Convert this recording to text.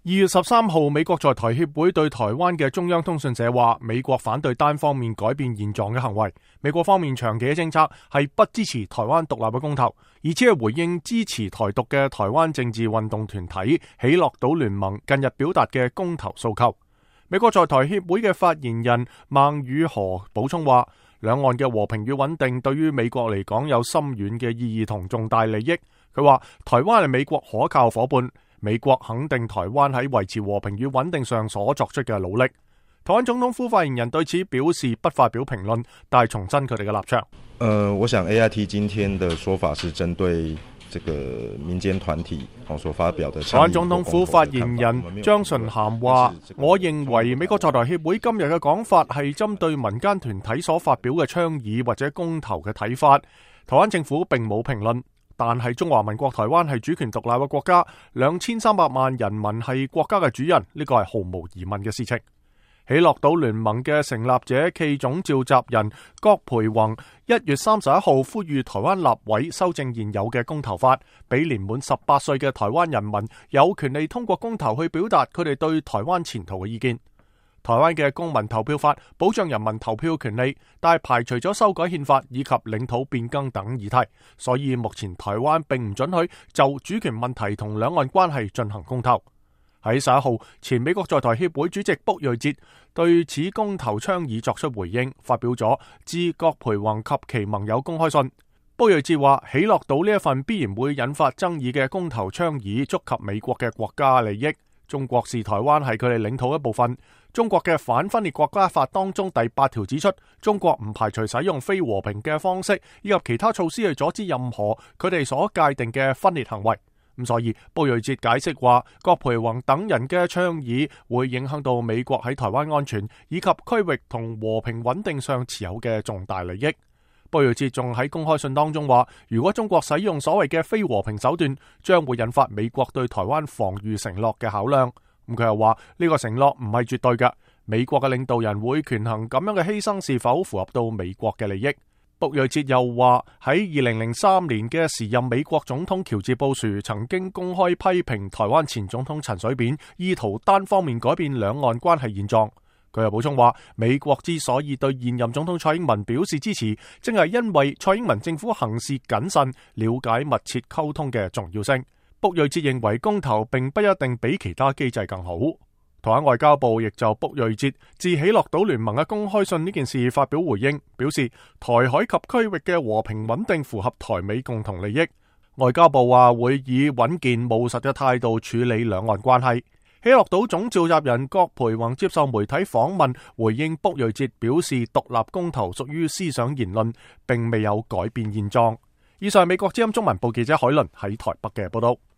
2月13號，美國在台協會對台灣嘅中央通訊社話，美國反對單方面改變現狀嘅行為。美國方面長期嘅政策係不支持台灣獨立嘅公投，而且係回應支持台獨嘅台灣政治運動團體喜樂島聯盟近日表達嘅公投訴求。美國在台協會嘅發言人孟宇荷補充話，兩岸嘅和平與穩定對於美國嚟講有深遠嘅意義同重大利益。佢話台灣係美國可靠夥伴，美國肯定台灣喺維持和平與穩定上所作出嘅努力。台灣總統府發言人對此表示不發表評論，但係重申佢哋嘅立場。我想 AIT 今天的說法是針對這個民間團體所發表的。台灣總統府發言人張純涵話，我認為美國在台協會今日嘅講法係針對民間團體所發表嘅倡議或者公投嘅睇法。台灣政府並冇評論。但係中華民國台灣係主權獨立嘅國家，2300萬人民係國家嘅主人，呢個係毫無疑問嘅事情。喜樂島聯盟嘅成立者暨總召集人郭培宏1月31號呼籲台灣立委修正現有嘅公投法，俾年滿18歲嘅台灣人民有權利通過公投去表達佢哋對台灣前途嘅意見。台灣嘅公民投票法保障人民投票權利，但係排除咗修改憲法以及領土變更等議題，所以目前台灣並唔准許就主權問題同兩岸關係進行公投。喺11號，前美國在台協會主席卜瑞哲對此公投倡議作出回應，發表咗致郭培宏及其盟友公開信。卜瑞哲話，喜樂島呢一份必然會引發爭議嘅公投倡議觸及美國嘅國家利益。中國視台灣係佢哋領土一部分。中國嘅反分裂國家法當中第8條指出，中國唔排除使用非和平嘅方式以及其他措施去阻止任何佢哋所界定嘅分裂行為。咁所以，卜瑞哲解釋話，郭培宏等人嘅倡議會影響到美國喺台灣安全以及區域同和平穩定上持有嘅重大利益。卜瑞哲仲喺公開信當中話，如果中國使用所謂嘅非和平手段，將會引發美國對台灣防禦承諾嘅考量。咁佢又話呢個承諾唔係絕對嘅，美國嘅領導人會權衡咁樣嘅犧牲是否符合到美國嘅利益。卜瑞哲又話喺2003年嘅時任美國總統喬治布殊曾經公開批評台灣前總統陳水扁意圖單方面改變兩岸關係現狀。佢又補充話，美國之所以對現任總統蔡英文表示支持，正係因為蔡英文政府行事謹慎，了解密切溝通嘅重要性。卜瑞哲認為公投並不一定比其他機制更好。台灣外交部亦就卜瑞哲致喜樂島聯盟嘅公開信呢件事發表回應，表示台海及區域嘅和平穩定符合台美共同利益。外交部話會以穩健務實嘅態度處理兩岸關係。喜樂島總召集人郭培宏接受媒體訪問，回應卜瑞哲表示獨立公投屬於思想言論，並未有改變現狀。以上係美國之音中文部記者海倫喺台北嘅報道。